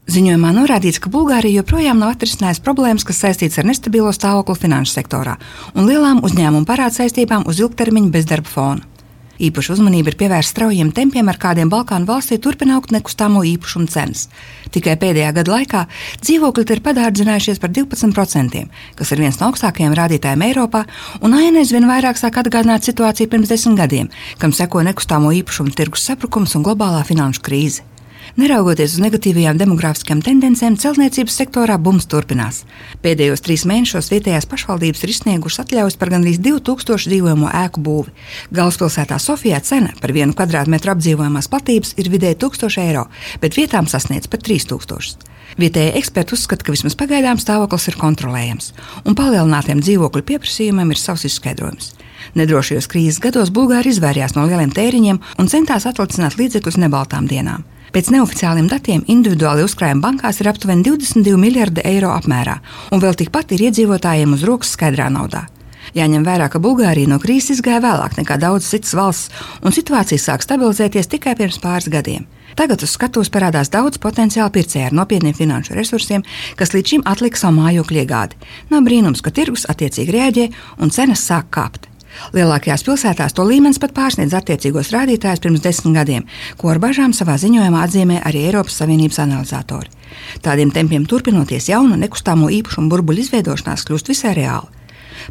Ziņojumā norādīts, ka Bulgārija joprojām nav atrisinājusi problēmas, kas saistītas ar nestabilo stāvokli finanšu sektorā un lielām uzņēmumu parādsaistībām uz ilgtermiņa bezdarba fona. Īpaša uzmanība ir pievērsta straujiem tempiem, ar kādiem Balkānu valstī turpina augt nekustamo īpašumu cenas. Tikai pēdējā gada laikā dzīvokļi ir padārdzinājušies par 12%, kas ir viens no augstākajiem rādītājiem Eiropā, un aina aizvien vairāk sāk atgādināt situāciju pirms 10 gadiem, kam seko nekustamo īpašumu tirgus sabrukums un globālā finanšu krīze. Neraugoties uz negatīvajām demogrāfiskajām tendencēm, celtniecības sektorā bums turpinās. Pēdējos 3 mēnešos vietējās pašvaldības ir izsniegušas atļaujas par gandrīz 2000 dzīvojamo ēku būvi. Galvaspilsētā Sofijā cena par 1 kvadrātmetru apdzīvojamās platības ir vidēji 1000 eiro, bet vietām sasniedz pat 3000. Vietējie eksperti uzskata, ka vismaz pagaidām stāvoklis ir kontrolējams, un palielinātiem dzīvokļu pieprasījumiem ir savs izskaidrojums. Nedrošajos krīzes gados Bulgāri izvairījās no lieliem tēriņiem un centās atlicināt līdzekļus nebaltām dienām. Pēc neoficiāliem datiem individuāli uzkrājumi bankās ir aptuveni 22 miljardi eiro apmērā, un vēl tikpat ir iedzīvotājiem uz rokas skaidrā naudā. Jāņem vērā, ka Bulgārija no krīzes izgāja vēlāk nekā daudzas citas valsts, un situācija sāk stabilizēties tikai pirms pāris gadiem. Tagad uz skatuves parādās daudz potenciāli pircēju ar nopietniem finanšu resursiem, kas līdz šim atlika savu mājokļu iegādi. Nav brīnums, ka tirgus attiecīgi reaģē un cenas sāk kāpt. Lielākajās pilsētās to līmenis pat pārsniedz attiecīgos rādītājus pirms 10 gadiem, ko ar bažām savā ziņojumā atzīmē arī Eiropas Savienības analizatori. Tādiem tempiem turpinoties, jauna nekustamo īpašumu burbuļu izveidošanās kļūst visai reāli.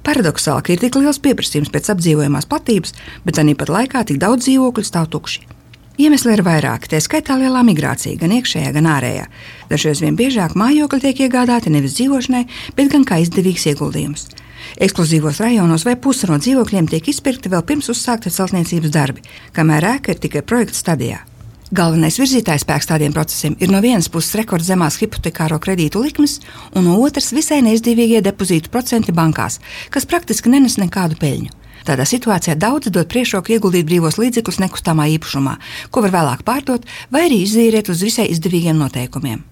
Paradoxāli, ka ir tik liels pieprasījums pēc apdzīvojamās platības, bet tāpat laikā tik daudz dzīvokļu stāv tukši. Iemesli ir vairāki, tā skaitā lielā migrācija, gan iekšējā, gan ārējā. Dažreiz vien biežāk mājokļi tiek iegādāti nevis dzīvošanai, bet gan kā izdevīgs ieguldījums. Ekskluzīvos rajonos vai puse no dzīvokļiem tiek izpirkti vēl pirms uzsākta celtniecības darbi, kamēr ēka ir tikai projekta stadijā. Galvenais virzītājspēks tādiem procesiem ir no vienas puses rekordzemās hipotekāro kredītu likmes, un no otras visai neizdevīgie depozītu procenti bankās, kas praktiski nenes nekādu peļņu. Tādā situācijā daudzi dod priekšroku ieguldīt brīvos līdzekļus nekustamā īpašumā, ko var vēlāk pārdot vai arī izīrēt uz visai izdevīgiem noteikumiem.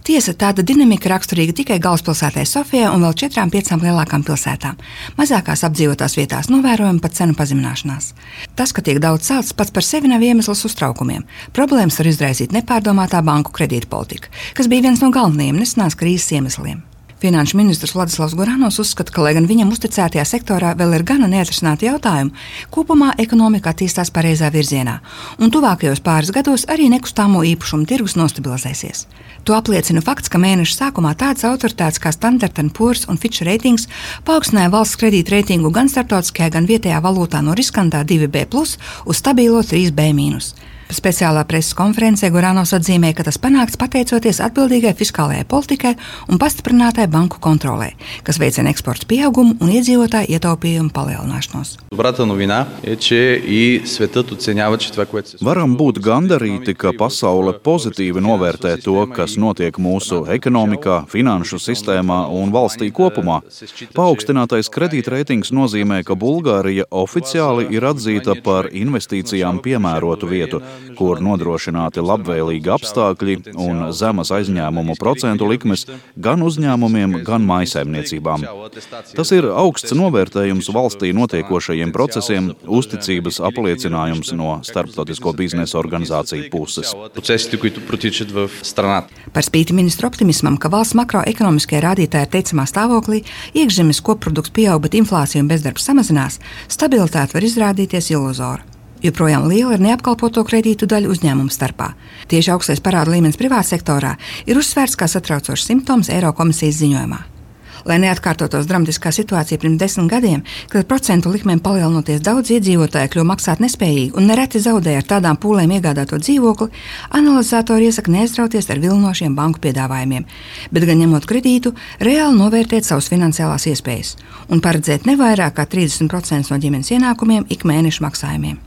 Tiesa, tāda dinamika raksturīga tikai galvaspilsētai Sofijai un vēl 4–5 lielākām pilsētām. Mazākās apdzīvotās vietās novērojama pat cenu pazemināšanās. Tas, ka tiek daudz celts, pats par sevi nav iemesls uztraukumiem. Problēmas var izraisīt nepārdomātā banku kredīta politika, kas bija viens no galvenajiem nesenās krīzes iemesliem. Finanšu ministrs Vladislavs Goranovs uzskata, ka, lai gan viņam uzticētajā sektorā vēl ir gana neatrisināti jautājumi, kopumā ekonomika attīstās pareizā virzienā, un tuvākajos pāris gados arī nekustamo īpašumu tirgus nostabilizēsies. To apliecina fakts, ka mēneša sākumā tādas autoritātes kā Standard & Poor's un Fitch Ratings paaugstināja valsts kredīta reitingu gan starptautiskajā, gan vietējā valūtā no riskantā 2B+ uz stabilo 3B-. Speciālā preses konferencē Goranovs atzīmē, ka tas panākts pateicoties atbildīgai fiskālajai politikai un pastiprinātai banku kontrolē, kas veicina eksporta pieaugumu un iedzīvotāju ietaupījumu palielināšanos. Varam būt gandarīti, ka pasaule pozitīvi novērtē to, kas notiek mūsu ekonomikā, finanšu sistēmā un valstī kopumā. Paaugstinātais kredītreitings nozīmē, ka Bulgārija oficiāli ir atzīta par investīcijām piemērotu vietu, kur nodrošināti labvēlīgi apstākļi un zemas aizņēmumu procentu likmes gan uzņēmumiem, gan mājsaimniecībām. Tas ir augsts novērtējums valstī notiekošajiem procesiem, uzticības apliecinājums no starptautisko biznesa organizāciju puses. Par spīti ministru optimismam, ka valsts makroekonomiskie rādītāji ir teicamā stāvoklī, iekšzemes koprodukts pieaug, bet inflācija un bezdarbs samazinās, stabilitāte var izrādīties iluzora. Joprojām liela ir neapkalpoto kredītu daļa uzņēmumu starpā. Tieši augstais parāda līmenis privātsektorā ir uzsvērts kā satraucošs simptoms Eirokomisijas ziņojumā. Lai neatkārtotos dramatiskā situācija pirms 10 gadiem, kad procentu likmēm palielinoties daudz iedzīvotāju kļuva maksāt nespējīgi un nereti zaudēja ar tādām pūlēm iegādāto dzīvokli, analizatori iesaka neaizrauties ar vilinošiem banku piedāvājumiem, bet gan ņemot kredītu, reāli novērtēt savas finansiālās iespējas un paredzēt ne vairāk kā 30% no ģimenes ienākumiem ik mēneša maksājumiem.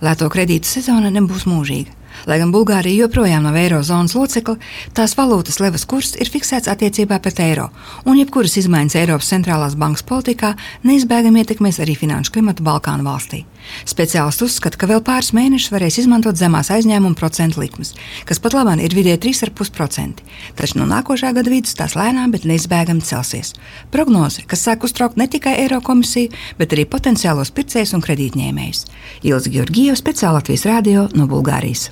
Lēto kredītu sezona nebūs mūžīga. Lai gan Bulgārija joprojām nav eirozonas locekle, tās valūtas levas kurs ir fiksēts attiecībā pret eiro, un jebkuras izmaiņas Eiropas centrālās bankas politikā neizbēgami ietekmēs arī finanšu klimatu Balkānu valstī. Speciālisti uzskata, ka vēl pāris mēnešus varēs izmantot zemās aizņēmumu procentu likmes, kas pat labāk ir vidēji 3,5%, taču no nākošā gada vidus tās lēnām, bet neizbēgami celsies. Prognoze, kas sāk uztraukt ne tikai Eirokomisiju, bet arī potenciālos pircējus un kredītņēmējus. Ilze Georgieva, Speciāla Latvijas radio no Bulgārijas.